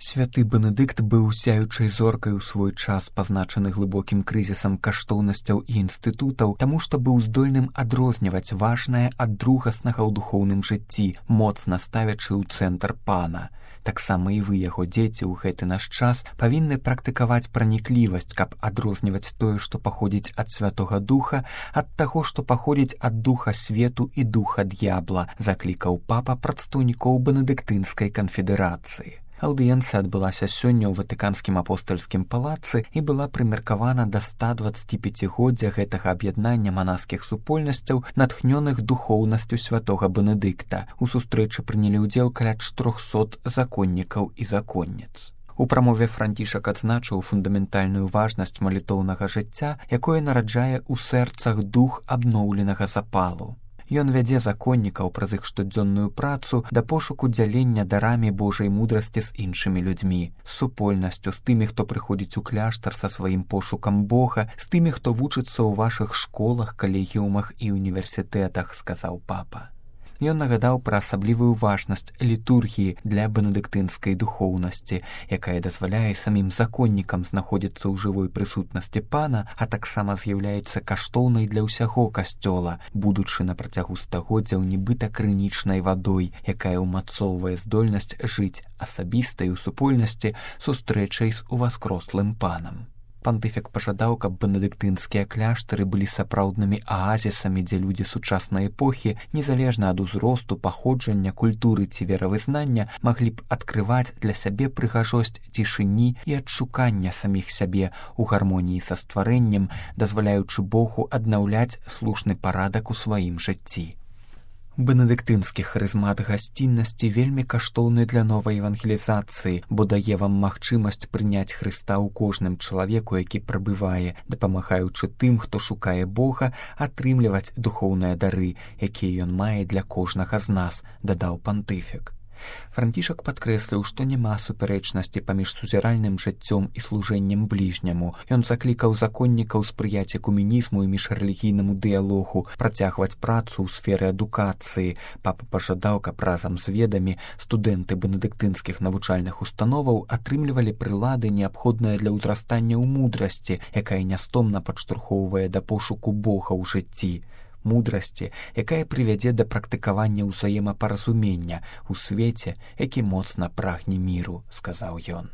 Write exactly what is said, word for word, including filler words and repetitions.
Святы Бенедыкт быў сяючай зоркай у свой час, пазначаны глыбокім крызісам каштоўнасцяў і інстытутаў, таму што быў здольным адрозніваць важнае ад другаснага ў духоўным жыцці, моцна ставячы ў цэнтр пана. Таксама і вы, яго дзеці, ў гэты наш час павінны практыкаваць праніклівасць, каб адрозніваць тое, што паходзіць ад Святога Духа, ад таго, што паходзіць ад духа свету і духа д'ябла, заклікаў папа прадстаўнікоў бенедыктынскай канфедэрацыі. Аўдыенцыя адбылася сёння ў Ватыканскім апостальскім палацы і была прымеркавана да ста дваццаціпяцігоддзя гэтага аб'яднання манаскіх супольнасцяў, натхнёных духоўнасцю святога Бенедыкта. У сустрэчы прынялі ўдзел каля чатырохсот законнікаў і законніц. У прамове Францішак адзначыў фундаментальную важнасць малітоўнага жыцця, якое нараджае ў сэрцах дух абноўленага запалу. Ён вядзе законнікаў праз іх штодзённую працу да пошуку дзялення дарамі Божай мудрасці з іншымі людзьмі, з супольнасцю, з тымі, хто прыходзіць у кляштар са сваім пошукам Бога, з тымі, хто вучыцца ў вашых школах, калегіумах і універсітэтах, сказаў папа. Ён нагадаў пра асаблівую важнасць літургіі для бенедыктынскай духоўнасці, якая дазваляе самім законнікам знаходзіцца ў жывой прысутнасці пана, а таксама з'яўляецца каштоўнай для ўсяго касцёла, будучы на працягу стагоддзяў нібыта крынічнай вадой, якая ўмацоўвае здольнасць жыць асабістай у супольнасці сустрэчай з уваскрослым панам. Пантыфік пажадаў, каб бенедыктынскія кляштары былі сапраўднымі аазісамі, дзе людзі сучаснай эпохі, незалежна ад узросту, паходжання, культуры ці веравызнання, маглі б адкрываць для сябе прыгажосць цішыні і адшукання саміх сябе ў гармоніі са стварэннем, дазваляючы Богу аднаўляць слушны парадак у сваім жыцці. Бенедыктынскі харызмат гасціннасці вельмі каштоўны для новай евангелізацыі, бо дае вам магчымасць прыняць Хрыста ў кожным чалавеку, які прабывае, дапамагаючы тым, хто шукае Бога, атрымліваць духоўныя дары, якія ён мае для кожнага з нас, дадаў пантыфік. Францішак падкрэсліў, што няма супярэчнасці паміж сузіральным жыццём і служэннем бліжняму. Ён заклікаў законнікаў спрыяць экуменізму і міжрэлігійнаму дыялогу, працягваць працу ў сферы адукацыі. Папа пажадаў, каб разам з ведамі студэнты бенедыктынскіх навучальных установаў атрымлівалі прылады, неабходныя для ўзрастання ў мудрасці, якая нястомна падштурхоўвае да пошуку Бога ў жыцці. Мудрасці, якая прывядзе да практыкавання ўзаемапаразумення ў свеце, які моцна прагне міру, сказаў ён.